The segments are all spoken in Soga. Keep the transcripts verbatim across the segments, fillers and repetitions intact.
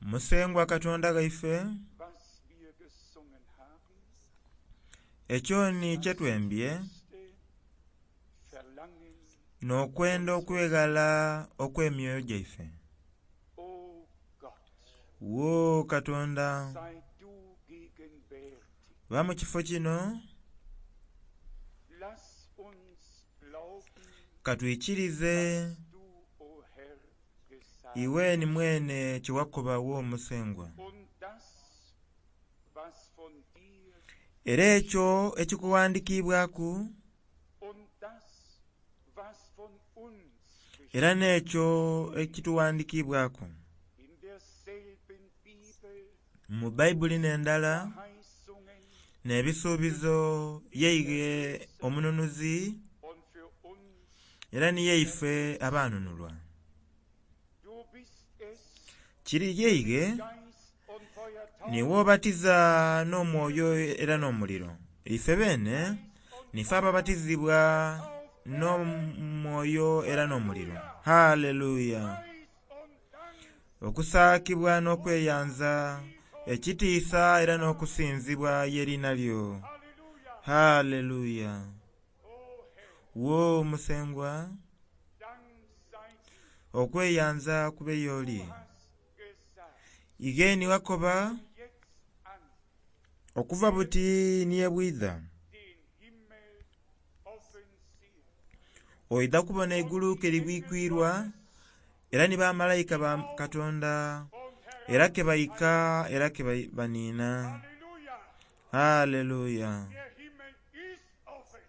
Musengwa Katonda ghaife, was wir gesungen haben, ekyo ni kye twembye ist Verlangen, n'okwenda okweghala okw'emyoyo gyaife. o Gott, Wo Katonda, sei du gegenwärtig. ba mu kifo kino Lass uns glauben, katwikirize was du, o Herr, gesagt iwe ni mwene kye wakoba wo Musengwa. und das, was von dir Era ekyo ekikuwandiikibwaku und das, was von uns era n'ekyo ekituwandiikibwaku. in derselben Bibel Mu Bayibuli n'endala Verheißungen n'ebisuubizo yeighe omununuzi und für uns, era ni yeife abanunulwa. du bist es, Kiri yeighe Geist und Feuer niwe obatiza n'omwoyo era n'omuliro. Ife beene nife ababatizibwa n'omwoyo era n'omuliro. Haleluya! Preis und Dank Okusaakibwa n'okweyanza, ekitiisa era n'okusinzibwa y'eriina lyo. Halleluja, Haleluya! o Herr, Wo Musengwa, Dank sei dir. okweyanza kube y'oli. Du hast gesagt, Ighe ni wakoba jetzt an okuva buti ni ye bwidha den Himmel offen sehen. oidha kubona eigulu ke libwikwirwa era ni bamalayika ba Katonda Und Herr, era ke baika era ke bai- baniina. Halleluja, Haleluya! der Himmel ist offen.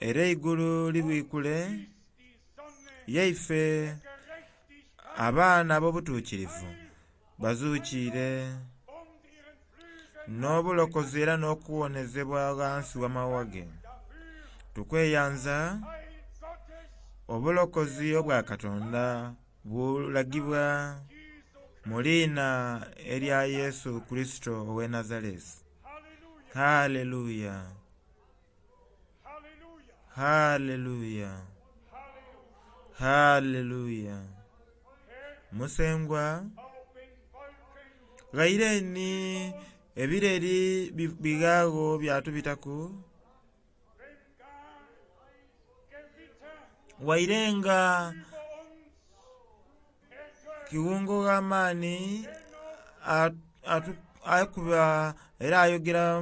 Era eigulu libwikule Ist die Sonne yaife Gerechtigkeit abaana ab'obutuukirivu bazuukiire und ihren Flügeln n'obulokozi era n'okuwonezebwa ghansi w'amawa ge. dafür Tukweyanza Heil Gottes obulokozi obwa Katonda bulagibwa Jesu mu liina erya Yesu Kurisito ow'e Nazaresi. Halleluja, Haleluya! Halleluja, Haleluya! Halleluja. Haleluya! Herr, Musengwa auf den Wolken ghaire ni ebireri bi- bighagho byatubitaku wenn gar Gewitter waire nga über uns ertönt, kiwungo gh'amaani atu- atu- akuba era ayogera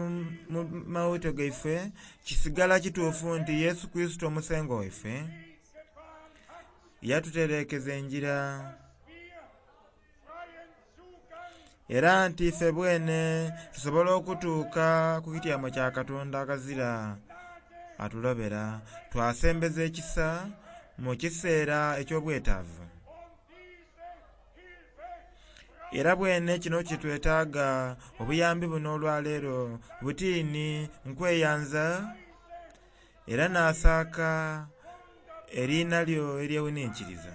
mu mawito gaife kisigala kituufu nti Yesu Kurisito omusengwa waife Weg gebahnt hat, yatutereekeza enjira wir freien Zugang era nti ife bwene tusobola okutuuka ku kityamo kya Katonda akazira atulobera twasembeza ekisa mu kiseera eky'obwetaavu und diese Hilfe era bwene kino kitwetaaga obuyambi buno olwaleero butiini nkweyanza era naasaaka eriina lyo eryewuninkiriza.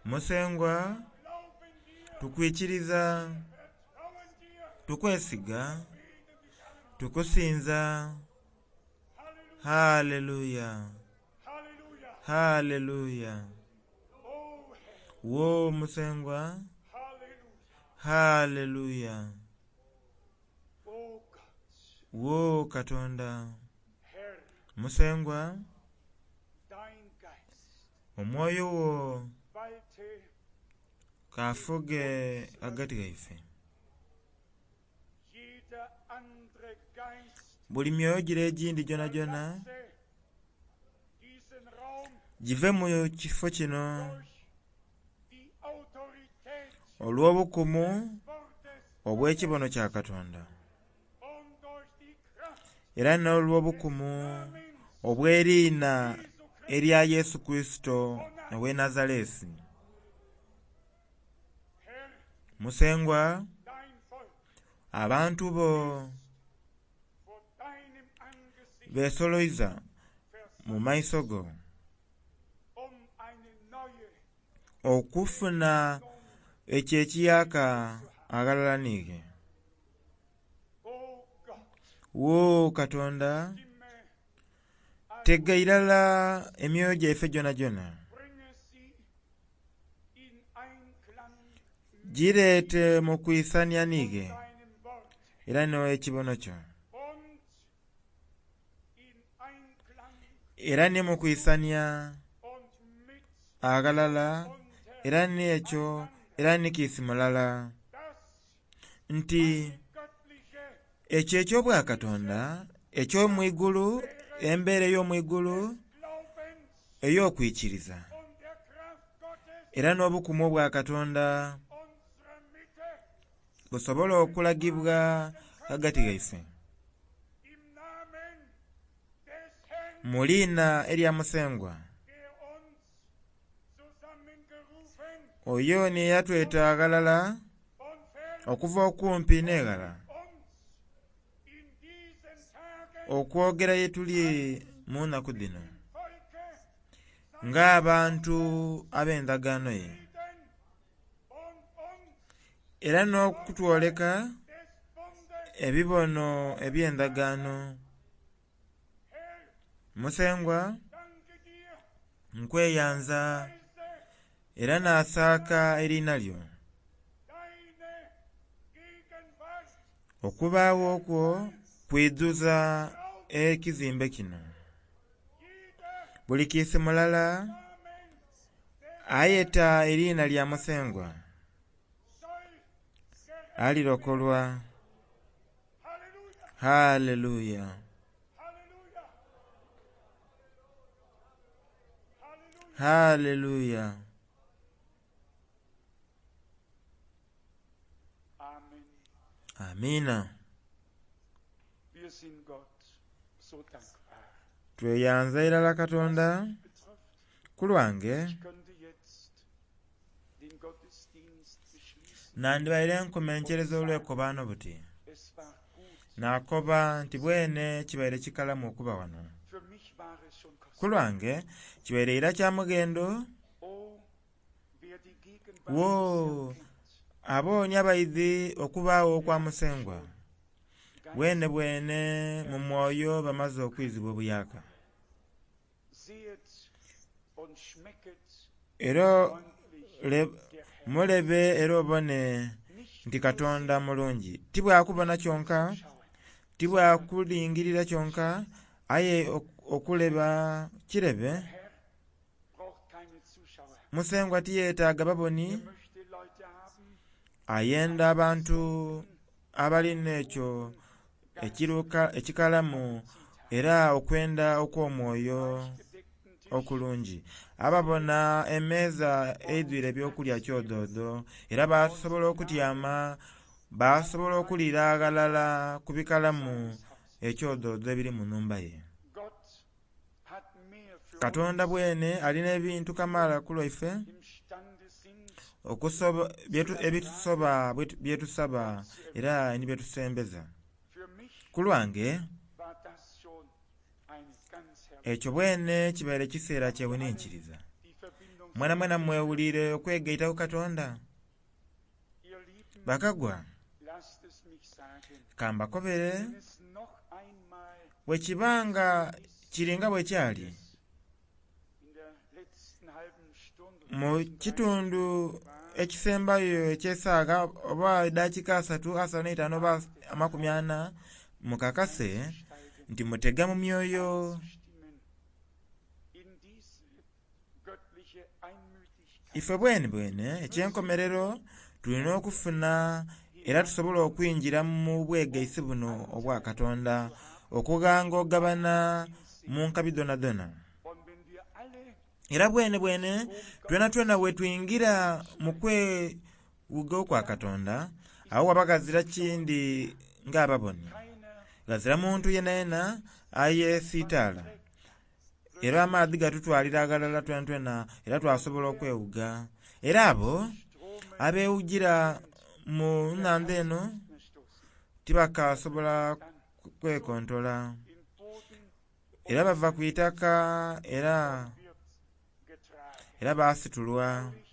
Musengwa glauben dir, tukwikiriza vertrauen dir, tukwesiga beten dich an. tukusinza. Halleluja, Haleluya! Halleluja, Haleluya! o Herr, Wo Musengwa Halleluja, haleluya! o Gott, Wo Katonda Herr, Musengwa dein Geist omwoyo wo walte kafuge ghagati ghaife. jeder andere Geist Buli myoyo gire egindi gyonhagyonha verlasse diesen Raum give mu kifo kino durch die Autorität olw'obukumu des Wortes obw'ekibono kya Katonda und durch die Kraft era n'olw'obukumu Namens obw'eriina Jesu Christi erya Yesu Kurisito ow'e Nazaresi. Herr, Musengwa dein Volk abantu bo vor deinem Angesicht beesoloiza mu versammelt, maiso go um eine neue okufuna ekyo ekiyaka aghalala niighe. O Gott, Wo Katonda stimme all tega irala emyoyo gyaife gyonagyona bringe sie in Einklang Gireete mu kwisania niighe deinem Wort era n'ekibono kyo und in Einklang era ni mu kwisania und mit aghalala era n'ekyo era ni kiisi mulala das nti göttliche ekyo eky'obwakatonda eky'omwigulu embeera ey'omwigulu Glaubens ey'okwikiriza und der Kraft Gottes era n'obukumu obwa Katonda unserer Mitte busobole okulagibwa ghagati ghaife im Namen des Herrn, mu liina erya Musengwa der uns zusammengerufen oyo ni eyatweta aghalala und fern okuva okumpi n'eghala uns in diesen Tagen okwogera ye tuli mu nnaku dhino Volke ng'abantu ab'endagaano ye Frieden und uns era n'okutwoleka des Bundes ebibono eby'endagaano Herr, Musengwa danke dir, nkweyanza preise era naasaaka eriina lyo deine Gegenwart okubaawo okwo kwidhuza ekizimbe kino jeder buli kiisi mulala Namen ayeta eriina lya Musengwa soll gerettet alirokolwa Halleluja, haleluya Halleluja. Halleluja. haleluya Amen. amiina Wir sind Gott so dankbar. tweyanza irala Katonda Betrifft, ku lwange ich könnte jetzt den Gottesdienst beschließen. nandibaire nkomenkereza olw'ekobaano buti Es war gut. naakoba nti bwene kibaire kikalamu okuba wano Für mich war es schon ku kostbar. lwange kibaire era kya mughendo Oh, wer die Gegenwart Wo. des Herrn kennt, abooni abaidhi okubaawo okwa Musengwa bwene bwene mu mwoyo bamaze okwizibwa obuyaka sehet und schmecket era freundlich le- der Herr. mulebe era obone Nicht nti Katonda mulungi tibwakubona kyonka schauen, tibwakulingirira kyonka aye ok- okuleba kirebe Herr braucht keine Zuschauer. Musengwa tiyeetaaga baboni Er möchte Leute haben, ayenda abantu abalina ekyo ekiruka ekikalamu era okwenda okw'omwoyo gedeckten Tisch, okulungi ababona emmeeza eidwire ebyokulya kyodoodo era basobola okutyama basobola okuliira aghalala ku bikalamu ekyodoodo ebiri mu nnhumba ye Gott hat mehr für Katonda uns bwene alina ebintu kamaala ku lwaife imstande sind, okusoba byetu- ebitusoba bwetu- byetusaba era ni byetusembeza Für mich ku lwange war das schon eine ganz herrliche ekyo bwene kibaire kiseera kyewuninkiriza die Verbindung. mwena mwena mwewulire okwegaita ku Katonda Ihr Lieben, bakagwa lasst es mich sagen, kambakobere wenn es noch einmal bwe kibanga kiringa bwe kyali in der letzten halben Stunde mu kitundu ekisembayo eky'esaaga oba eddakiika asatu asanu n'eitaano oba amakumi ana mukakase steigen, nti mutega mu myoyo stimmen in diese göttliche Einmütigkeit ife bwene bwene ekyenkomerero tulina okufuna era tusobole okwingira mu bwegaisi buno obwa Katonda okughanga ogabana mu nkabi dhonadhona und wenn wir alle era bwene bwene twena twena bwe twingira mu kwewuga okwa Katonda awo waba ghazira kindi ng'ababoni keiner ghazira muntu yenayena ayeesiitaala era amaadhi gatutwalira aghalala twena twena era twasobola okwewuga era abo Strome abeewugira mu nnhandha eno mehr stoßen. tibakasobola kwekontola In Boden era bava ku itaka era wird getragen, era baasitulwa völlig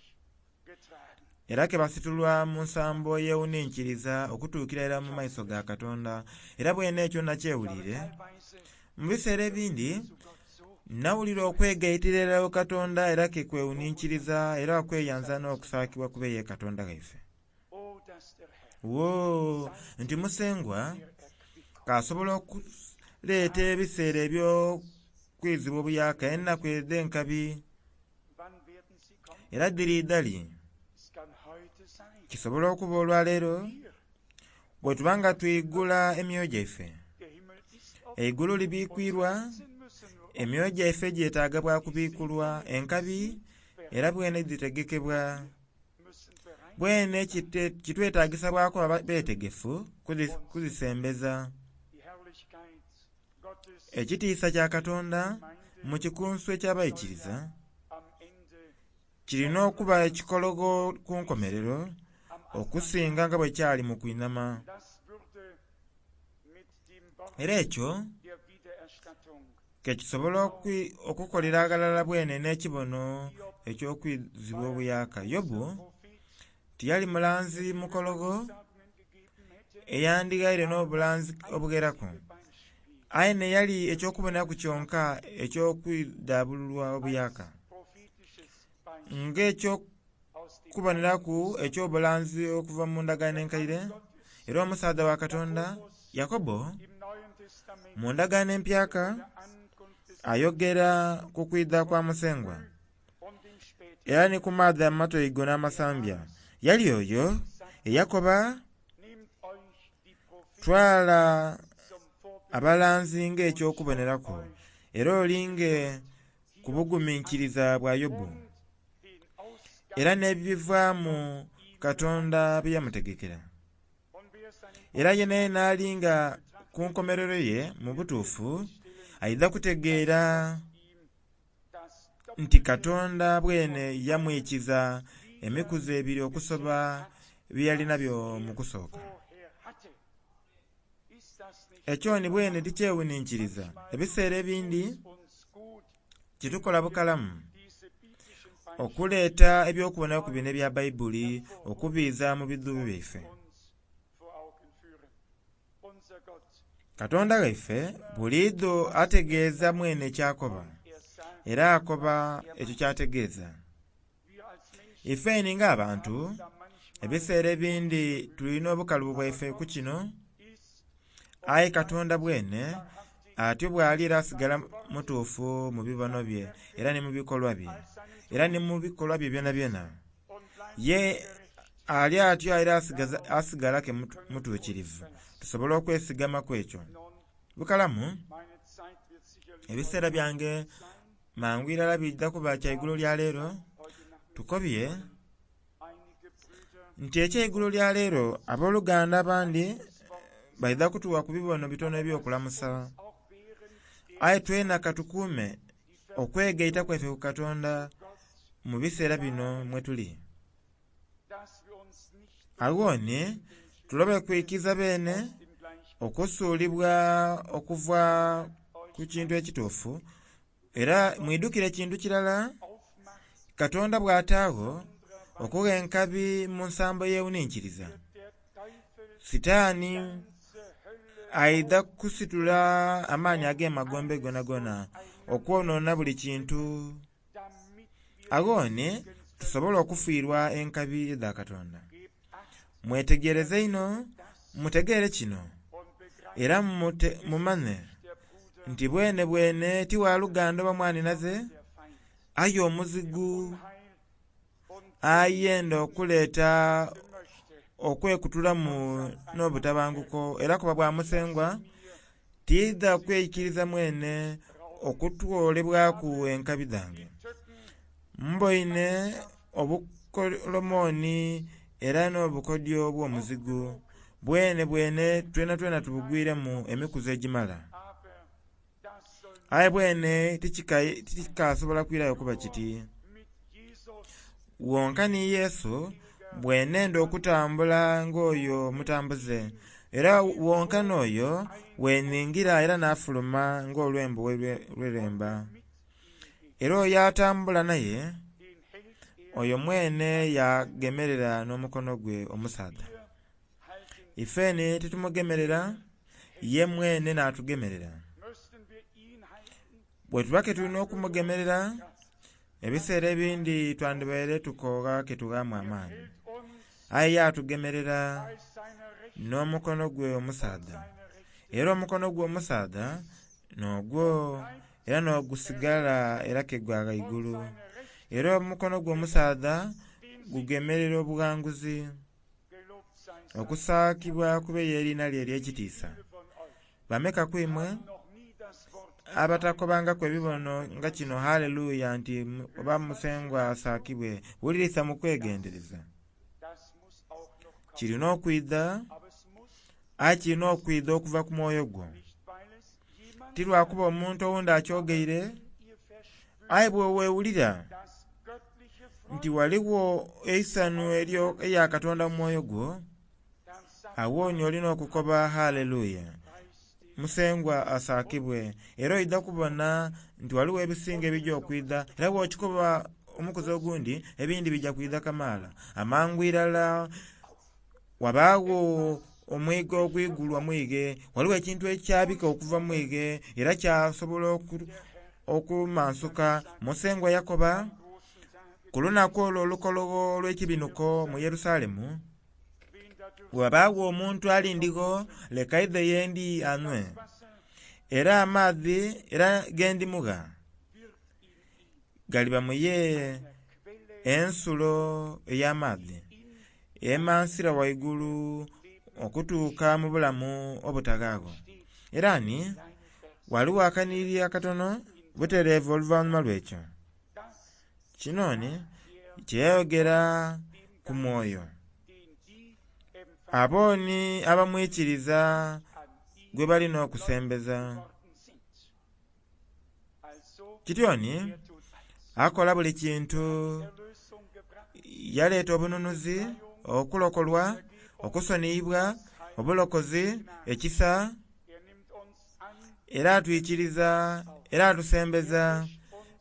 getragen. era ke basitulwa mu nsambo yeewuninkiriza okutuukira era mu maiso ga Katonda era bwene ekyo nakyewulire Teilweise mu biseera ebindi zu Gott so nawulira okwegaitira era Katonda era ke kwewuninkiriza era okweyanza n'okusaakibwa kube ye Katonda ghaife Wo nti Musengwa k'asobola okuleeta ebiseera eby'okwizibwa obuyaka, enaku edh'enkabi Wann werden sie kommen? era dhiriidha li. Es kann heute sein. Kisobola okuba olwaleero Wir, bwe tuba nga twigula emyoyo gyaife. der Himmel ist offen. Eigulu libikwirwa, Unsere Herzen müssen nur emyoyo gyaife gyetaaga bwa kubikulwa, enkabi era bwene dhitegekebwa. müssen bereit Bwene kite- kitwetaagisa bwa kuba beetegefu kuzi- kuzisembeza. die Herrlichkeit Gottes Ekitiisa kya Katonda mu kikunsu eky'abaikiriza am Ende kirina okuba ekikologo ku nkomerero am Anfang. okusinga nga bwe kyali mu kwinama. Das würde mit dem Wort Era ekyo der Wiedererstattung ke kisobola okwi- okukolera aghalala bwene n'ekibono eky'okwizibwa obuyaka. Yobu Prophet tiyali mulanzi mukologo Sagungen gegeben hätte, eyandighaire n'obulanzi obugheraku. Beispiel Aye neyali eky'okuboneraku kyonka eky'okwidhaabululwa obuyaka. prophetisches Beispiel Ng'ekyokuboneraku aus dem eky'obulanzi okuva mu ndagaano enkaire, era omusaadha wa Katonda, Yakobo, im Neuen Testament mu ndagaano empyaka, der Ankunft des ayogera ku kwidha kwa Musengwa und dem späteren era ni ku maadhi amatoigo n'amasambya. Yali oyo eyakoba, nehmt euch die Propheten twala zum Vorbild abalanzi ng'ekyokuboneraku, era olinge ku buguminkiriza bwa Yobu, und den Ausgang era n'ebivaamu Katonda bye yamutegekera. und wer seinen Era yena n'alinga ku nkomerero ye mu butuufu, aidha kutegeera ihm das nti Katonda bwene yamwikiza emikuzi ebiri okusoba bye yali nabyo mu kusooka. vorher hatte. Ist das nicht Ekyo ni bwene tikyewuninkiriza. Ebiseera ebindi uns gut, kitukola bukalamu diese biblischen Beispiele okuleeta eby'okubonaku bino ebya Bayibuli okubiiza mu bidhubu byaife. uns vor Augen führen? Unser Gott, Katonda waife buliidho ategeeza mwene ky'akoba, er sagt, era akoba ekyo ky'ategeeza. wir als Menschen Ifeni ng'abantu, da manchmal ebiseera ebindi tulina obukalubu bwaife ku kino, ist aye Katonda bwene atyo bw'ali era asigala mutuufu mu bibono bye era ni mu bikolwa bye, era ni mu bikolwa bye byonabyona. und bleibt Ye ali atyo era asigaza- asigala ke mutu- mutuukirivu. Tusobola okwesigamaku ekyo. nun, Bukalamu, meine Zeit wird sicherlich ebiseera byange mangu irala bijja kuba kya igulo lya leero, heute Nachmittag tukobye einige Brüder nti ekyeigulo lya leero abooluganda abandi baidha kutuwa ku bibono bitono eby'okulamusa. auch während der Aye twena katukuume okwegaita kwaife ku Katonda mu biseera bino mwe tuli. dass wir uns nicht Agho ni tulobe kwikiza beene dem gleichen okusuulibwa okuva ku kintu ekituufu, era mwidhukire kintu kirala, aufmacht, Katonda bw'ataagho okugha enkabi mu nsambo y'ewuninkiriza. der Teufel Sitaani ganze Hölle aidha kusitula amaanyi ag'emagombe gonagona okwonoona buli kintu. damit wir Agho ni tusobola okufiirwa enkabi edha Katonda. gebt acht Mwetegereze inho, mutegeere kino, und begreift era mute- mumanye der Bruder nti bwene bwene ti waluganda oba mwanhinaze, der Feind aye omuzigu Heil und ayenda okuleeta möchte okwekutulamu n'obutabanguko era kuba bwa Musengwa tiidha kweikiriza mwene okutwolebwaku enkabi dhange. Tücken Mboine obukolomoni era n'obukodyo bw'omuzigu bwene bwene twenatwena tubugwiremu emikuzi egimala. aber das soll Aye bwene tikika- tikikasobola kwirayo kuba kiti. mit Jesus Wonka ni Yesu bwenenda okutambula ng'oyo omutambuze, era wonka n'oyo weningira era n'afuluma ng'olwembo lweremba. Era oyo atambula naye, den hält er oyo mwene yagemerera n'omukono gwe omusaadha. halten Ifeni titumugemerera, ye mwene n'atugemerera. müssten wir ihn halten Bwe tuba ke tulina okumugemerera, ebiseera ebindi twandibaire tukoogha ke tughaamu amaani. hält uns Aye yatugemerera bei seiner Rechten n'omukono gwe omusaadha seine Rechte era omukono gwe omusaadha n'ogwo era n'ogusigala era ke gwa ghaigulu seine Rechte era omukono gwe omusaadha den Sieg gugemerera obughanguzi gelobt sei sein okusaakibwa kube y'eriina lye ery'ekitiisa Viele von euch bameka kwimwe haben noch nie das Wort abatakobangaku ebibono nga kino haleluya nti mu- oba musengwa asaakibwe wulirisa mu kwegendereza das muss auch noch kommen kirina okwidha aber es muss aye kirina okwidha okuva ku mwoyo gwo nicht weil es jemand ti lwakuba omuntu owundi akyogeire ihr verspürt aye bweweewulira das göttliche nti Freude waliwo eisanhu eryo eya Katonda mu mwoyo gwo dann sagt awooni olina okukoba haleluya preis den musengwa asaakibwe era oidha kubona nti waliwo ebisinga ebijja okwidha era bw'okikoba omukuzi ogundi ebindi bijja kwidha kamaala amangu irala wabaagho omwiga ogwigulwa mwige waliwo ekintu ekyabika okuva mwige era kyasobola oku- okumansuka musengwa yakoba großen Tag ku lunaku olwo olukologo olw'ekibinuko mu Yerusalemu wen da dürft bwewabaagho omuntu alindigho leka aidhe yendi anhwe Wasser era amaadhi era gendimugha wird in ihm galiba muye Quelle ensulo ey'amaadhi in emansira waigulu okutuuka mu bulamu obutaghaagho era ni seine Vers waliwo akaniriri akatono butereevu oluvannyuma lw'ekyo das kino ni er kyeyayogera dem ku mwoyo den die empfangen abooni abamwikiriza an ihn gwe balina okusembeza worden sind also kityoni er tut alles akola buli kintu Erlösung gebracht yaleeta obununuzi okulokolwa okusoniyibwa obulokozi ekisa er nimmt uns an era atwikiriza era atusembeza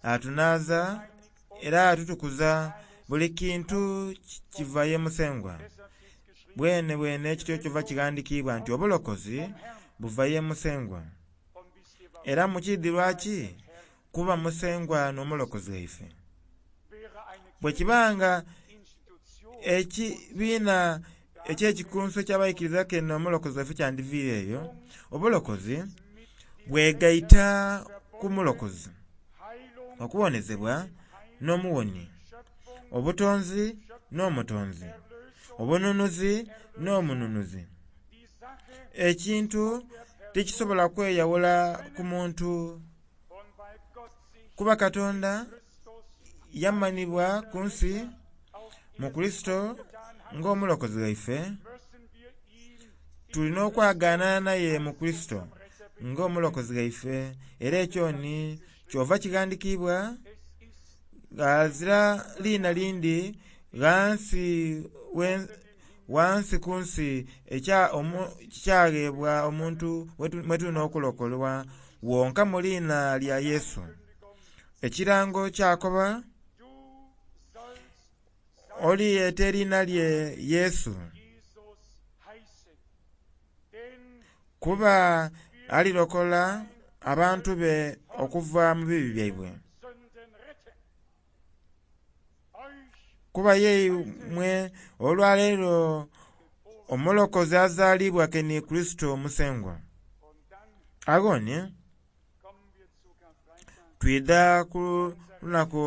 atunaaza era atutukuza buli kintu ki- kiva ye musengwa deshalb steht geschrieben bwene bwene ekityo kyova kighandikiibwa nti obulokozi buva ye musengwa und wisst ihr warum era mukidhi lwaki kuba musengwa n'omulokozi waife wäre eine bwe kibanga Institution ekibiina ekyekikunso ky'abaikiriza kene omulokozi waife kyandiviire eyo obulokozi bwegaita ku mulokozi Heilung okuwonezebwa n'omuwoni Schöpfung obutonzi n'omutonzi Erlösung obununuzi n'omununuzi die Sache ekintu tekisobola kweyawula ku muntu und weil Gott sich kuba Katonda Christus yamanibwa ku nsi auf mu Kristo getan hat ng'omulokozi waife müssen wir ihn tulina okwagaanana naye mu Kristo ng'omulokozi waife era ekyo ni kyova kighandikiibwa es ist ghazira liina lindi ghansi we- wansi ku nsi ekya omu- kikyaghebwa omuntu wetu- mwe tulina okulokolwa wonka mu liina lya Yesu ekirango kyakoba du sollst oliyeta eriina lye Yesu Jesus heißen denn kuba alirokola abantu be okuva mu bibi byaibwe Sünden retten euch kuba yeimwe olwaleero omulokozi azaalibwa ke ni Kristo omusengwa und dann aghoni kommen wir zu Karfreitag twidha ku lunaku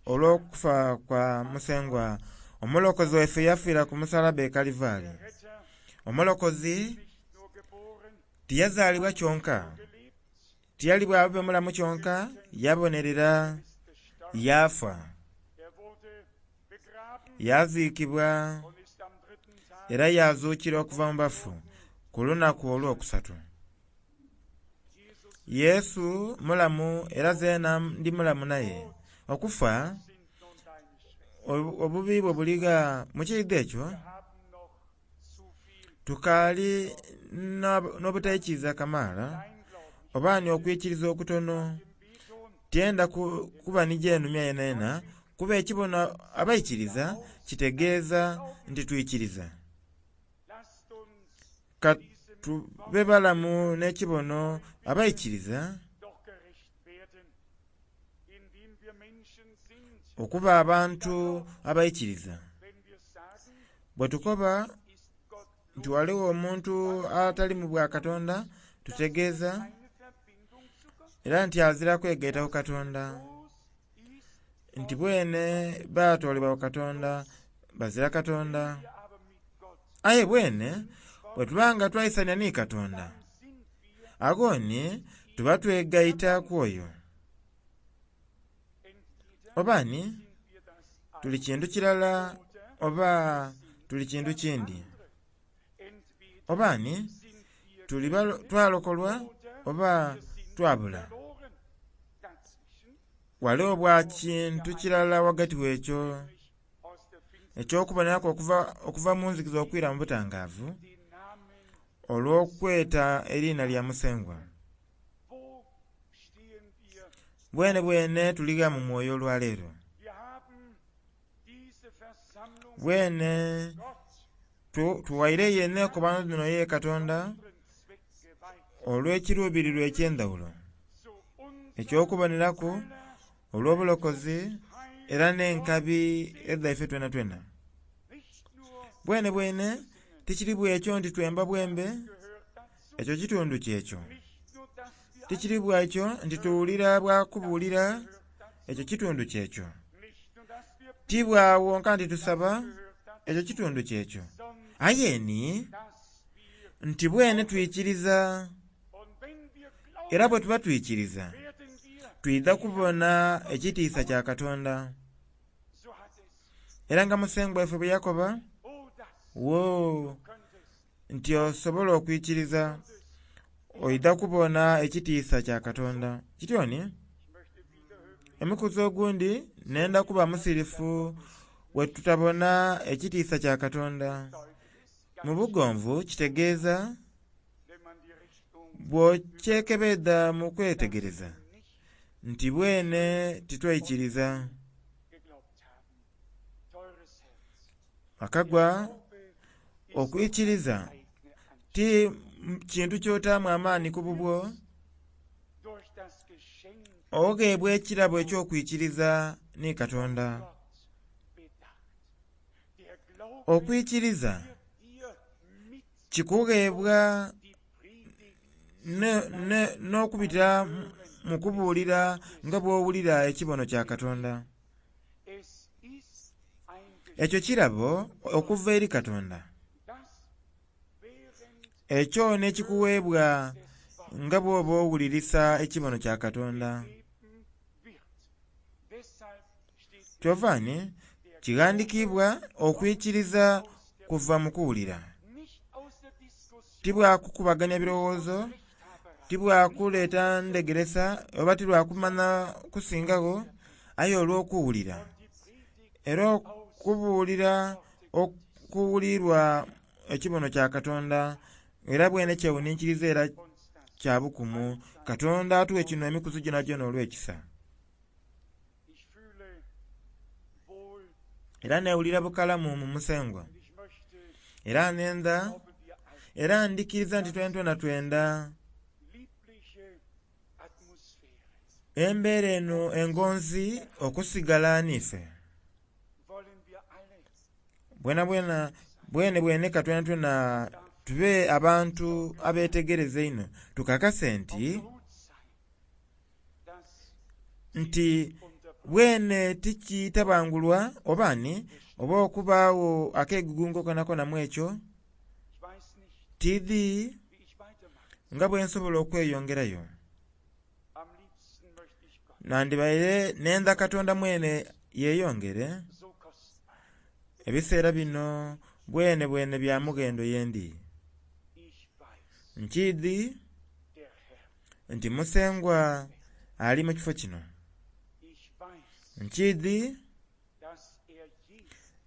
olw'okufa kwa musengwa omulokozi waife yafiira ku musalaba e Kalivaali Retter omulokozi nicht nur geboren tiyazaalibwa kyonka gelebt tiyali bwabe mulamu kyonka yabonerera ist gestorben yafa er wurde begraben yaziikibwa und ist am dritten Tag era yazuukira okuva mu bafu ku lunaku olwokusatu Jesus Yesu mulamu era zeena ndi mulamu naye okufa sind nun deine Schwächen obu- obubi bwe buliga mu kiidho ekyo wir haben noch zu viel tukaali n'ab- n'obutaikiriza kamaala Kleinglauben oba ni okwikiriza okutono im Beton tyenda ku- kuba ni gyenumya yenayena kuba ekibono abaikiriza kitegeeza nti twikiriza lasst uns ka diesem tube balamu n'ekibono abaikiriza doch gerecht werden indem wir Menschen sind okuba abantu abaikiriza wenn wir sagen Bwe tukoba nti waliwo omuntu atali mu bwa Katonda, tutegeeza era nti azira kwegaita ku Katonda, nti bwene baatoolebwa ku Katonda, bazira Katonda. Aye bwene bwe tuba nga twaisania ni Katonda, aghoni tuba twegaita ku oyo. Oba ni tuli kintu kirala oba tuli kintu kindi. Oba ni tuli twalokolwa oba twabula. Waliwo bwa kintu kirala ghagati w'ekyo eky'okuboneraku okuva, okuva mu nzikiza okwira mu butangaavu olw'okweta eriina lya Musengwa. Bwene bwene tuligha mu mwoyo olwaleero? Bwene tuwaireyo enekobano dhino ye Katonda olw'ekiruubirirwa eky'endhawulo eky'okuboneraku olw'obulokozi era n'enkabi edhaife twenatwena. Bwene bwene tikiri bwekyo nti twemba bwembe, ekyo kitundu kyekyo. Tikiri bwekyo nti tuwulira bwakubuulira, ekyo kitundu kyekyo. Ti bwawonka nti tusaba, ekyo kitundu kyekyo. Aye ni nti bwene twikiriza, era bwe tuba twikiriza twidha kubona ekitiisa kya Katonda. Era nga Musengwa waife bwe yakoba, wo nti osobola okwikiriza oidha kubona ekitiisa kya Katonda. Kityoni emikuzi ogundi nenda kuba musirifu bwe tutabona ekitiisa kya Katonda. Mu bugonvu kitegeeza bw'okyekebedha mu kwetegereza nti bwene titwaikiriza. Akagwa okwikiriza ti kintu ky'otaamu amaani ku bubwo, ogheebwa ekirabo eky'okwikiriza ni Katonda. Okwikiriza kikugheebwa n'okubitira mu kubuulira nga bw'owulira ekibono kya Katonda. Ekyo kirabo okuva eri Katonda. Ekyo n'ekikuweebwa nga bw'oba owulirisa ekibono kya Katonda. Kyova ni kighandiikibwa okwikiriza kuva mu kuwulira. Ti bwakukubagania birowoozo, ti bwakuleeta ndhegeresa oba ti lwakumanya kusingagho, aye olw'okuwulira. Era okubuulira okuwulirwa ekibono kya Katonda era bwene kyewuninkiriza era kya bukumu. Katonda atuwe kino emikuzi gyonagyona olw'ekisa. Era neewulira bukalamu mu Musengwa. Era nenda, era ndikiriza nti twenatwena twenda embeera eno engonzi okusigala n'ife. Bwenabwena bwene bwene ka twenatwena tube abantu abetegereza einho tukakase nti nti bwene tikitabangulwa oba ni oba okubaagho akegugungo konakona mu ekyo, tidhi nga bwe nsobola okweyongerayo. Nandibaire nenda Katonda mwene yeeyongere, ebiseera bino bwene bwene bya mughendo yendi. Nkiidhi nti Musengwa ali mu kifo kino. Nkiidhi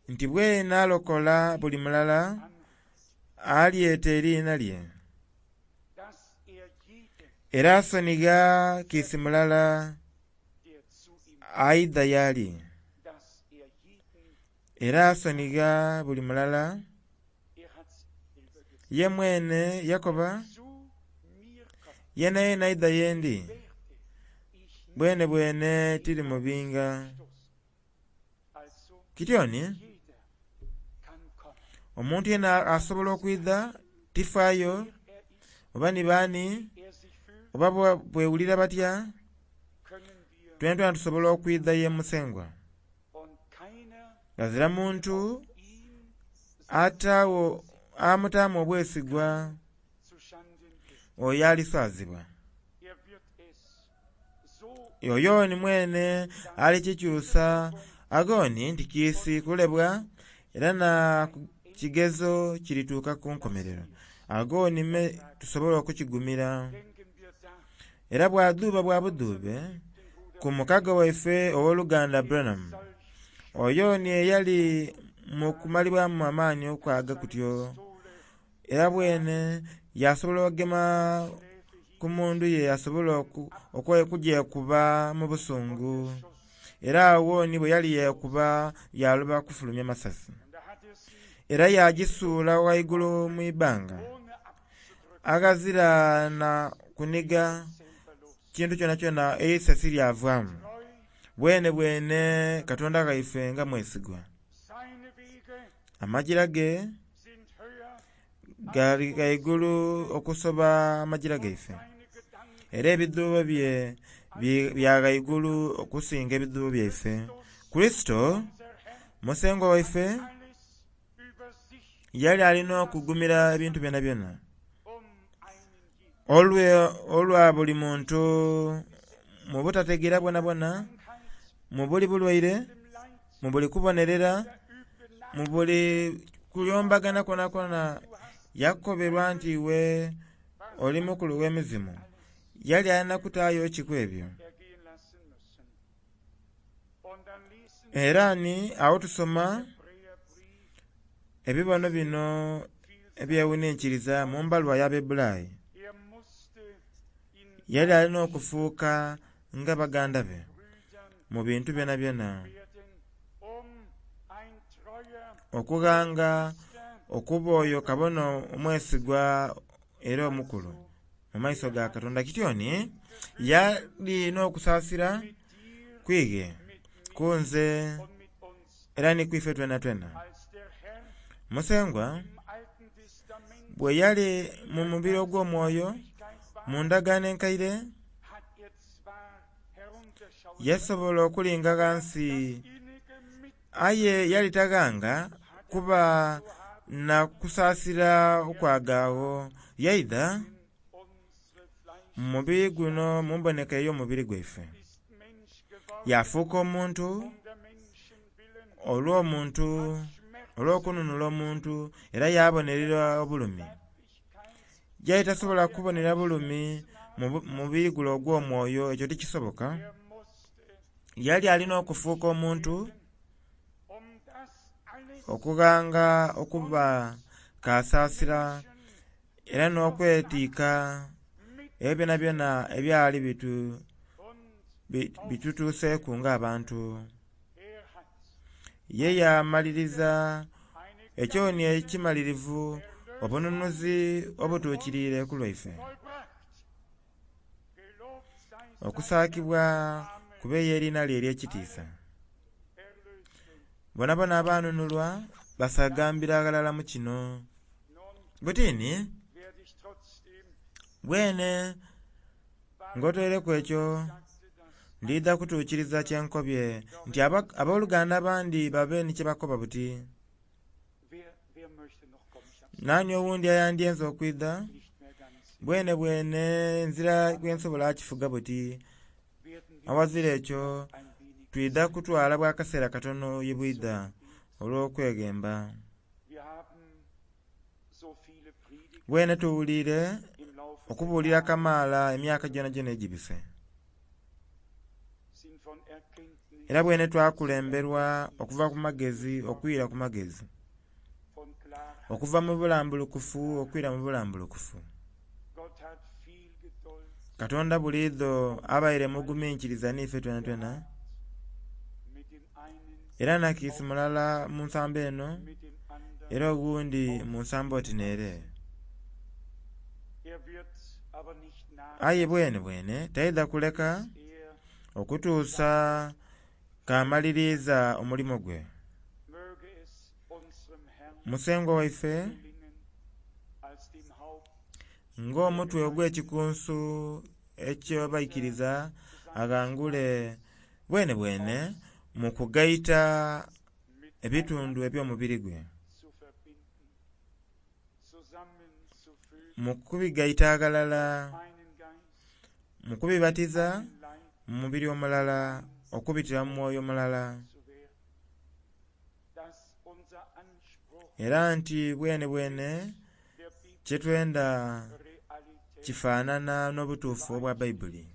nti bwene alokola buli mulala alyeta eriina lye. Era asonigha kiisi mulala aidha y'ali. Era asonigha buli mulala ye mwene yakoba yenayena aidha yendi bwene bwene tiri mubinga. Kityoni Omuntu yena asobola okwidha tifaayo er ist, oba ni baani er sich fühlt, oba bwe- bwewulira batya können wir twena twena tusobola okwidha ye musengwa und keiner ghazira muntu ihn ataawo amutaamu obwesigwa zu Schanden bringt. oyo aliswazibwa Er wird es so oyo ni mwene alikikyusa agoni nti kiisi kulebwa era na kigezo kirituuka ku nkomerero agoni me tusobola okukigumira denken wir da era bwadhuuba bwa budhuube ku mukago waife ow'oluganda Branham solch oyo ni eyali mu kumalibwamu amaani okwaga kutyo Pistole era bwene yasobola okugema Schläfe ku mundu ye asobola oku- okwe- okugyekuba mu busungu Schuss. era awo ni bwe yali yeekuba yaloba kufulumya masasi Und da hat er sie era yagisuula waigulu mu ibbanga ohne abzudrücken aghazira na kuniga selber los. kintu kyonakyona eisasi lyavaamu Treu bwene bwene katonda ghaife nga mwesigwa seine Wege amajira ge sind höher gali ghaigulu okusoba amajira gaife seine Gedanken era ebidhuubo bye bye- bya ghaigulu okusinga ebidhuubo byaife kristo unser Herr musengwa waife alles über sich yali alina okugumira ebintu byonabyona um einen jeden olwe olwa buli muntu mu butategeera bwonabwona Krankheit, mu buli bulwaire dem Leid, mu buli kubonerera der üblen mu buli kuyombagana kwonakwo yakoberwa nti iwe oli mukulu w'emizimu yali alina kutaayo ki ku ebyo ergehen lassen müssen. Und dann lesen era ni awo tusoma Hebräerbrief ebibono bino viel ebyewuninkiriza mu mbaluwa y'Abaebbulaayi Er musste in yali alina okufuuka nga baganda be Brüdern mu bintu byonabyona werden, um ein treuer okughanga Priester okuba oyo kabona omwesigwa era omukulu mu maiso ga Katonda kityoni yalina okusaasira mit dir, kwighe mit mir kunze und mit uns, era ni kwife twenatwena als der Herr musengwa im Alten Testament bwe yali mu mubiri ogw'omwoyo Wirklichkeit war, mu ndagaano enkaire hat er zwar herunterschauen yasobola okulinga ghansi innige Mitleid aye yali taghanga kuba na kusaasira okwagaagho yaidha unsere Fleisch mu mubiri guno mu mboneka ey'omubiri gwaife ist Mensch geworden, yafuuka omuntu um der Menschen willen, olw'omuntu Schmerz, olw'okununula omuntu era yabonerera obulumi Leiblichkeit, yali tasobola kubonera bulumi mu bu- mubiri guno ogw'omwoyo ekyo tikisoboka er musste yali alina okufuuka omuntu um das alles okughanga okuba kasaasira era n'okwetiika mit ebyo byonabyona ebyali bitu und bi- bitutuuseeku ng'abantu er hat ye yamaliriza eine ekyoni ekimalirivu obununuzi obutuukiriire ku lwaife vollbracht. Gelobt sei sein okusaakibwa kube y'eriina lye ery'ekitiisa Erlösten. bonabona abaanunulwa basagambira ghalala mu kino Nun butini werde ich trotzdem bwene ng'otoireku ekyo sagte das ndidha kutuukiriza kyenkobye nti aba- abooluganda abandi babe ni kye bakoba buti Wer, wer möchte noch kommen? Ich hab's naani owundi ayandyenze okwidha nicht mehr ganz. bwene bwene nzira gwensobola akifuga buti Werden wir awazira ekyo ein wenig. twidha kutwala bwakaseera katono ye bwidha olw'okweghemba Wir haben so viele Predigten bwene tuwuliire im Laufe der okubuulira Jahre kamaala emyaka gyonagyona egibise sind von Erkenntnis, era bwene twakulemberwa okuva ku magezi okwira ku magezi von Klarheit. okuva mu bulambulukufu okwira mu bulambulukufu Gott hat viel Geduld katonda buliidho abaire muguminkiriza niife twenatwena mit dem einen, era nakiisi mulala mu nsambo eno mit dem anderen. era ogundi mu nsambo oti neere Er wird aber nicht nach, aye bwene bwene taidha kuleka er okutuusa k'amaliriza omulimu gwe möge es unserem Musengwa waife gelingen als dem Haupt ng'omutwe ogw'ekikunsu eky'abaikiriza aghangule bwene bwene mu kugaita ebitundu eby'omubiri gwe, zu verbinden, zusammenzufügen, mu kubigaita aghalala, einen Geist, mu kubibatiza einen Leib mu mubiri omulala okubitira mu mwoyo mulala, zu werden, dass unser Anspruch era nti bwene bwene der Bibel kyetwenda Realität, kifaanana n'obutuufu obwa Bayibuli,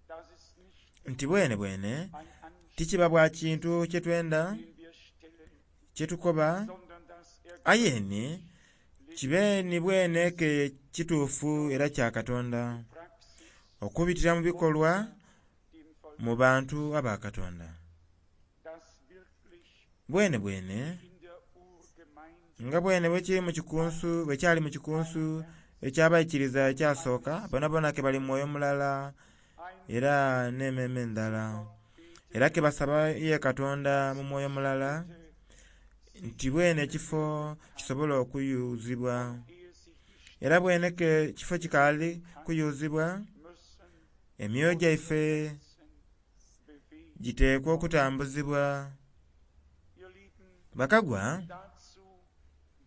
dass es nicht nti bwene bwene ein Anspruch, tikiba bwa kintu kyetwenda den wir stellen, kyetukoba, sondern dass er aye ni kibe ni bwene ke kituufu era kya Katonda Praxis okubitira mu bikolwa dem Volk, mu bantu aba Katonda. dass wirklich Bwene bwene in der Urgemeinde nga bwene bwekiri mu kikunsu bwekyali mu kikunsu ekyabaikiriza ekyasooka bonabona ke bali mu mwoyo mulala ein era n'emmeeme ndala, era ke basaba ye Katonda mu mwoyo mulala nti bwene ekifo kisobola okuyuzibwa, ehe sich die era bwene ke kifo kikaali kuyuzibwa müssen emyoyo gyaife Herzen bewegen. giteekwa okutambuzibwa. Ihr Lieben, Bakagwa dazu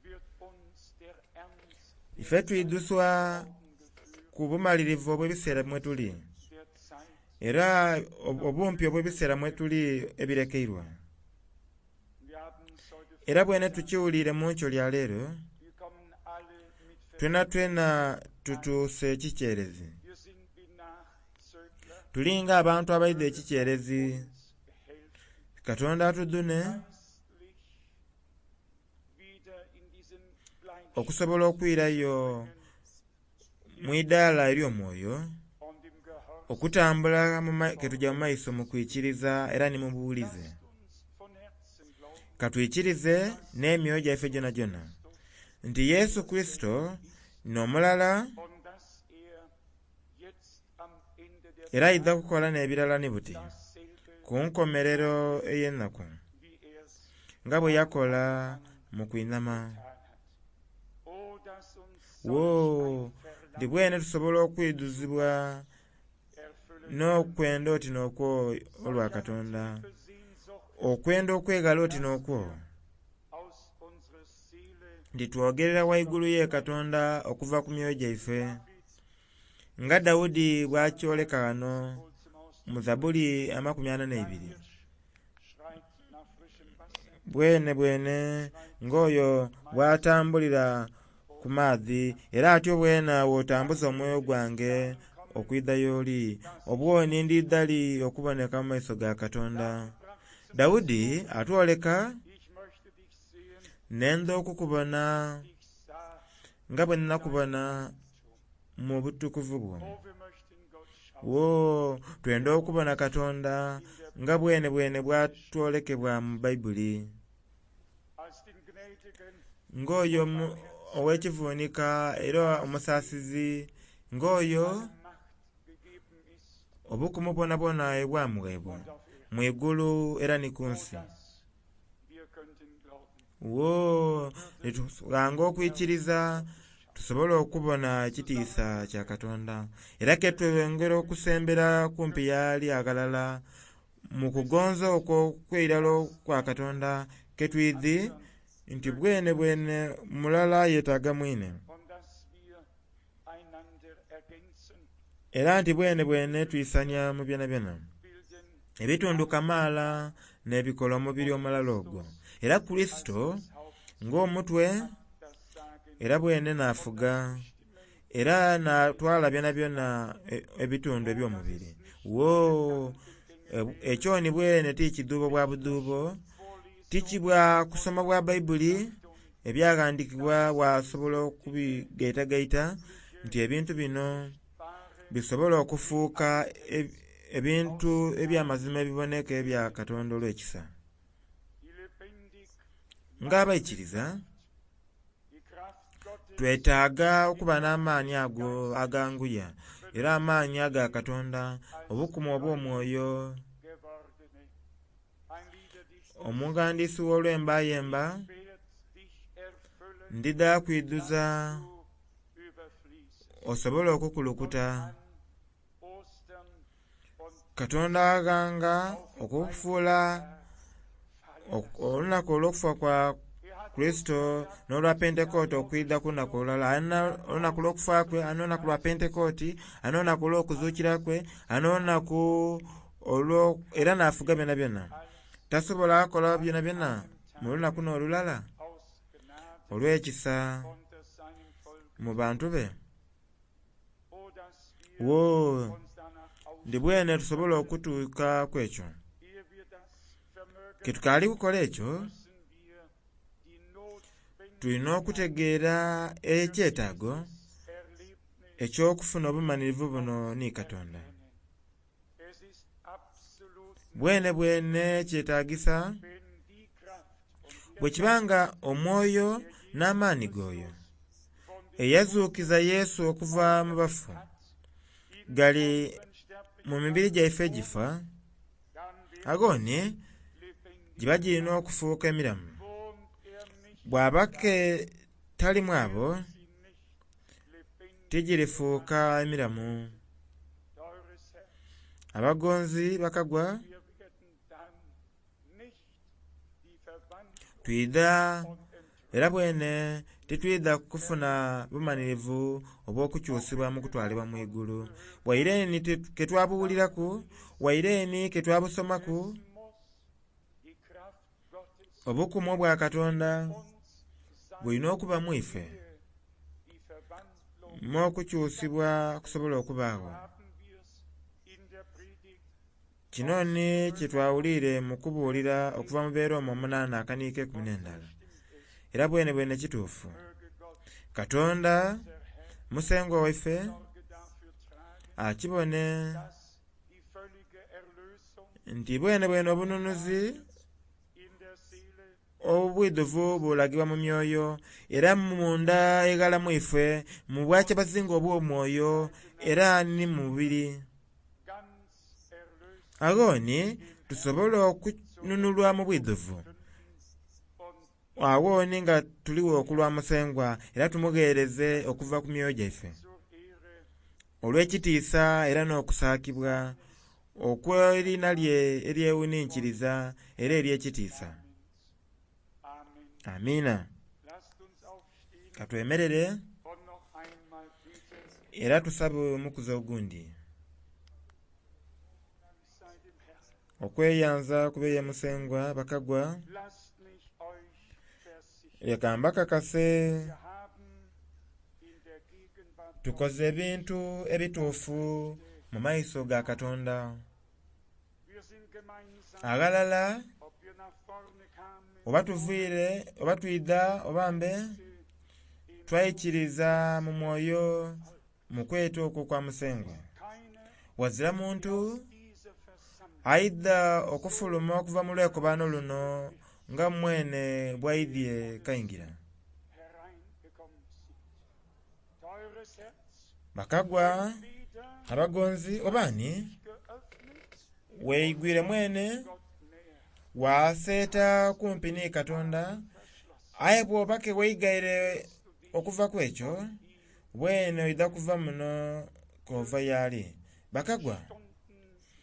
wird uns der Ernst der ife twiduswa Augen geführt, ku bumalirivu obw'ebiseera mwe tuli der Zeit. era ob- obumpi obw'ebiseera mwe tuli ebirekeirwa, Wir haben es heute era bwene tukiwulire mu nkyo lya leero Wir kommen alle mit twena twena tutuuse ekikyerezi, Wir sind wie Nachzögler, tulinga abantu abaidha ekikyerezi. uns helfen, Katonda atudune geistlich wieder in diesen Gleichstand okusobola okwirayo mu idaala ery'omwoyo und im Gehorsam. okutambula mu ma- ketujja mu maiso mu kwikiriza era ni mu buwulize. Lasst uns von Herzen glauben, Katwikirize n'emyoyo gyaife gyonagyona nti Yesu Kristo n'omulala und dass er jetzt am Ende der era aidha kukola n'ebirala ni buti dasselbe, ku nkomerero ey'ennaku wie er's nga bwe yakola mu kwinama. getan hat. Oh, dass uns Wo solch ein ndi bwene tusobola okwiduzibwa Verlangen erfüllen n'okwenda oti n'okwo olwa Katonda, tiefe Sehnsucht okwenda okwegala oti n'okwo aus unserer Seele nti twogerera waigulu ye Katonda okuva ku myoyo gyaife nga Dawudi bw'akyoleka ghano wohl zum Ausdruck. mu Zabuli amakumi ana n'eibiri. Schreit nach frischem Wasser, Bwene bwene ng'oyo bw'atambulira ku maadhi era atyo bwena bw'otambuza omwoyo gwange okwidha y'oli, obwoni ndidha li okuboneka mu maiso ga Katonda. Dawudi atwoleka ich möchte dich sehen, nenda okukubona ich sah. nga bwe nnakubona mu butukuvu bwo. Oh, wir möchten Gott schauen. Wo twenda okubona Katonda nga bwene bwene bwatwolekebwa mu Bayibuli Als den gnädigen, ng'oyo omu- ow'ekivuunika era omusaasizi ng'oyo alle Macht gegeben ist obukumu bwonabwona ebwamuweebwa und auf Erden. mu igulu era ni ku Oh, nsi. dass wir könnten glauben. Wo netughanga okwikiriza tusobole okubona ekitiisa kya Katonda era ke tweyongera okusembera kumpi y'ali aghalala mu kugonza okwo okw'eirala kwa Katonda ke twidhi nti bwene bwene mulala yeetaaga mwine Und dass wir einander ergänzen, era nti bwene bwene twisania mu byonabyona bilden ebitundu kamaala n'ebikola omubiri omulala ogwo era Kurisito das Haupt, ng'omutwe das Sagen era bwene n'afuga era n'atwala byonabyona e- ebitundu eby'omubiri. Wo e- ekyo ni bwene ti kidhuubo bwa budhuubo tikibwa kusoma bwa Bayibuli ebyaghandikibwa bwasobola okubigaitagaita nti ebintu bino bisobola okufuuka e- ebintu eby'amazima ebiboneka ebya Katonda olw'ekisa. die lebendig Ng'abaikiriza die Kraft Gottes twetaaga okuba n'amaanyi ago aganguya era amaanyi aga Katonda obukumu obw'omwoyo. gewordene. Ein Liederdichter Omughandiisi w'olwembayemba Pferd Ndidha kwidhuza du überfließt. osobole okukulukuta. An Ostern und Katonda aghanga okufuula fallen ok- olunaku olw'okufa kwa Er hat Kurisito n'olwa Pentekooti okwidha ku lunaku olulala. Alina olunaku olw'okufa kwe, alina olunaku lwa Pentekooti, alina olunaku olw'okuzuukira kwe, alina olunaku olwo era n'afuga byonabyona. Tasobola kukola byonabyona mu lunaku n'olulala aus Gnade olw'ekisa unter seinem Volk. mu bantu be. O, dass wir Wo uns danach ndi bwene tusobola okutuuka ku ekyo. Ehe wir das vermögen, Ke tukaali kukola ekyo, müssen wir die Notwendigkeit tulina okutegeera ekyetaago Erlebnis eky'okufuna obumalirivu buno ni Katonda. Es ist absolut Bwene bwene kyetaagisa wenn die Kraft und bwe kibanga omwoyo n'amaanyi g'oyo von dem eyazuukiza Yesu okuva mu bafu hat in gali unseren sterblichen mu mibiri gyaife egifa, dann wird agooni lebendig. giba girina okufuuka emiramu. Wohnt er nicht, Bw'aba ke talimu abo, sie nicht lebendig. tigirifuuka emiramu. Teures Herz, Abagonzi bakagwa wir werden dann nicht die Verwandlung twidha und Entrückung era bwene titwidha kufuna bumalirivu obw'okukyusibwa mu kutwalibwa mu igulu. Waire ni ke twabuwuliraku, waire ni ke twabusomaku, muss die Kraft Gottes obukumu obwa Katonda uns sein, bulina okuba mu ife die Verwandlung mu okukyusibwa kusobola okubaagho. haben wir's in der Predigt Kino ni kye twawulire mu kubuulira okuva mu beera omwo omunaana akaniiko ekumi n'endala. stimmt es. Era bwene bwene kituufu. Möge Gott, Katonda unser Herr, musengwa waife Sorge dafür tragen, akibone dass die völlige Erlösung nti bwene bwene obununuzi in der Seele obwidhuvu bulagibwa mu myoyo era munda eghala mu ife mu bwakyabazinga obw'omwoyo era ni mu mubiri. ganz erlöst Agho ni tusobole okununulwa mu bwidhuvu. und Agho ni nga tuliwo okulwa Musengwa era tumugheereze okuva ku myoyo gyaife zur Ehre olw'ekitiisa era n'okusaakibwa okw'eriina lye eryewuninkiriza era ery'ekitiisa. Amen. Amiina. Lasst uns aufstehen Katwemerere und noch einmal beten. era tusabe omukuzi ogundi. Dank sei dem Herrn. Okweyanza kube ye Musengwa bakagwa Lasst mich euch versichern. leka mbakakase Wir haben in der Gegenwart tukoze ebintu ebituufu mu maiso ga Katonda. Wir sind gemeinsam, Aghalala ob wir nach vorne kamen, oba tuviire oba twidha oba mbe twaikiriza mu mwoyo mu kweta okwo kwa Musengwa. keine Wazira muntu dieser Versammlung aidha okufuluma okuva mu lwekobaano luno nga mwene bw'aidhye kaingira. hereingekommen sind. Teures Herz, Bakagwa weder abagonzi obaani geöffnet, weigwire mwene Gott näher waaseeta kumpi ni Katonda verschlossen. aye bw'oba ke weigaire okuva ku ekyo bwene oidha kuva muno k'ova y'ali. Bakagwa Stunden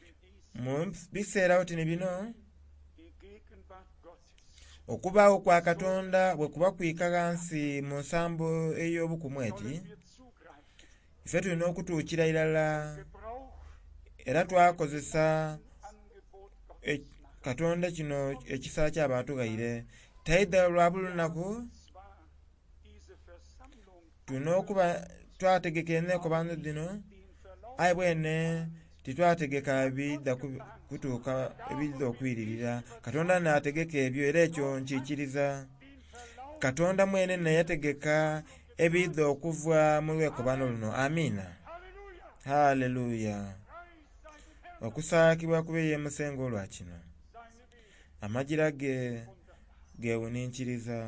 wie dies mu biseera oti ni bino die Gegenwart Gottes okubaawo kwa Katonda bwe kuba kwika ghansi mu nsambo ey'obukumu eti sollen wir zugreifen. ife tulina okutuukira irala Gebrauch era twakozesa Angebot Gottes e- Katonda kino ekisa ky'abatughaire taidha lwa buli lunaku zwar diese Versammlung tulina okuba twategeka enneekobaano dhino den Verlauf aye bwene titwategeka bidha ku- kutuuka ebidha okwiririra. Katonda n'ategeka ebyo era ekyo nkiikiriza. den Verlauf Katonda mwene neyategeka ebidha okuva mu lwekobaano luno. Amiina. Halleluja Haleluya. Preis sei dem Herrn Okusaakibwa kube ye Musengwa olwa kino. seine Wege Amajira ge gewuninkiriza.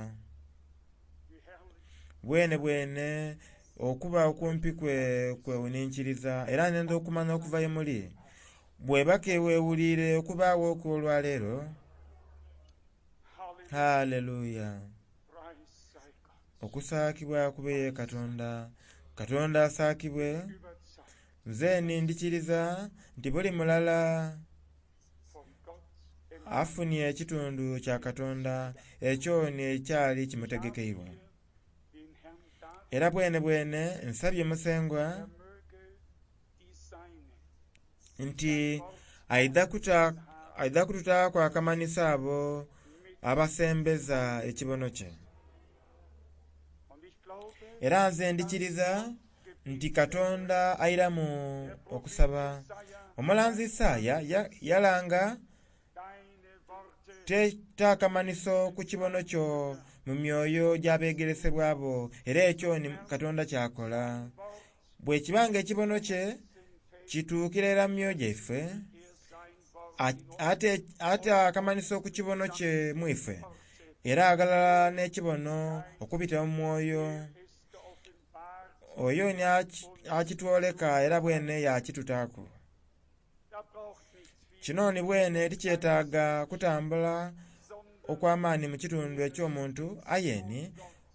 wie herrlich Bwene bwene okuba okumpi kwe kwewuninkiriza era nenda okumanya okuva ye muli bw'eba ke weewuliire okubaawo okw'olwaleero Halleluja haleluya Preis sei Gott Okusaakibwa kube ye Katonda. Katonda asaakibwe. Überzeugt Nze ndikiriza nti buli mulala von Gott afunye ekitundu kya Katonda ekyo nekyali kimutegekeirwa. den Herrn darum, Era bwene bwene nsabye Musengwa er möge die Seine nti aidha kuta aidha kututaaku akamanhiso abo abasembeza ekibono kye. und ich glaube, Era nze ndikiriza nti Katonda airamu okusaba. Omulanzi Isaaya ya- yalanga deine Worte te ta akamanhiso ku kibono kyo mu myoyo gy'abeegeresebwa bo era ekyo ni Katonda kyakola. Bwe kibanga ekibono kye kituukira era mu myoyo gyaife er sein Wort a- ate ate akamanhiso ku kibono kye mu ife era aghalala n'ekibono okubita mu mwoyo ist geoffenbart. oyo ni aki- akitwoleka era bwene yakitutaaku. Da braucht nicht viel, Kino ni bwene tikyetaaga kutambula sondern okw'amaani mu kitundu eky'omuntu aye ni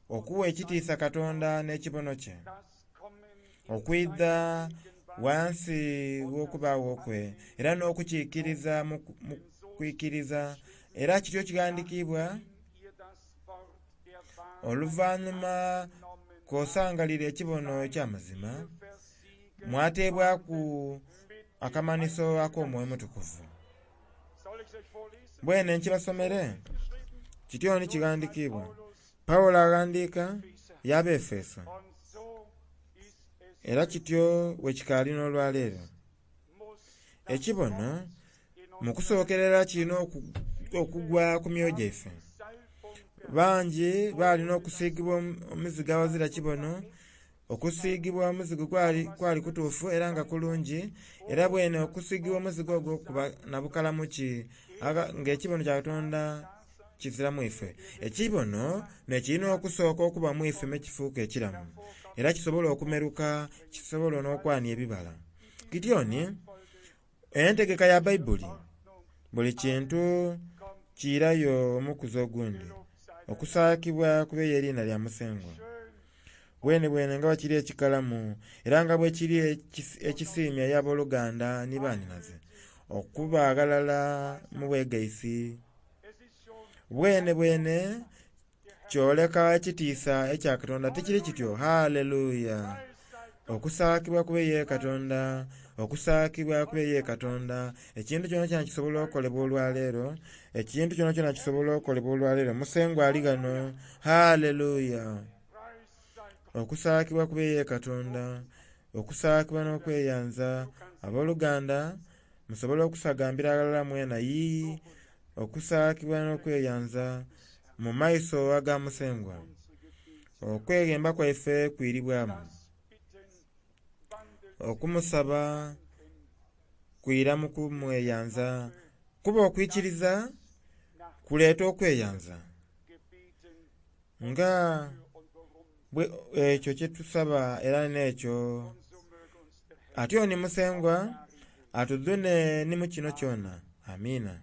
okuwa ekitiisa Katonda n'ekibono kye das Kommen in okwidha wansi w'okubaawo kwe era n'okukiikiriza mu ku- mu kwikiriza era kityo kighandiikibwa ihr das Wort der Wahrheit oluvannyuma genommen kw'osangalira ekibono eky'amazima versiegelt mwateebwaku mit akamanhiso ak'omwoyo mutukuvu. Soll ich euch vorlesen? Bwene nkibasomere Geschrieben kityo ni kighandiikibwa Paulus Pawulo aghandiika y'Abaefeso und so ist es era kityo bwe kikaali n'olwaleero. muss Ekibono in mu kusookerera kirina oku- okugwa ku myoyo gyaife. Salbung Bangi baalina okusiigibwa omu- omuzigo awazira kibono. Okusiigibwa omuzigo kwali, kwali kutuufu era nga kulungi era bwene okusiigibwa omuzigo ogwo kuba na bukalamu ki aga- ng'ekibono kya Katonda kizira mu ife. Ekibono nekirina okusooka okuba mu ife mekifuuka ekiramu era kisobola okumeruka kisobola n'okwania ebibala. Kityo ni entegeka ya Baibuli buli kintu kiirayo omukuzi ogundi okusaakibwa kube eriina lya Musengwa. Bwene bwene nga bwe kiri ekikalamu era nga bwe kiri ekisi- ekisiimya eri abooluganda ni banhinaze okuba aghalala mu bwegaisi. Es ist schon Bwene bwene kyoleka ekitiisa ekya Katonda tikiri kityo haleluya. Okusaakibwa kube ye Katonda, okusaakibwa kube ye Katonda. Ekintu kyonakyona kisobola okukolebwa olwaleero, ekintu kyonakyona kisobola okukolebwa olwaleero. Musengwa ali ghano, haleluya. Preis sei Gott. Okusaakibwa kube ye Katonda, okusaakibwa n'okweyanza. Abooluganda musobola okusagambira aghalala mwena yii okusaakibwa n'okweyanza mu maiso aga Musengwa. Unsere Gebete Okweghemba kwaife kwiribwamu. das Bitten wandelt Okumusaba kwira mu kumweyanza kuba okwikiriza nach kuleeta okweyanza Gebeten nga für und warum. bwe ekyo kye tusaba era n'ekyo Und so möge uns der Herr atyo ni Musengwa atudhune ni mu kino kyona. Amiina.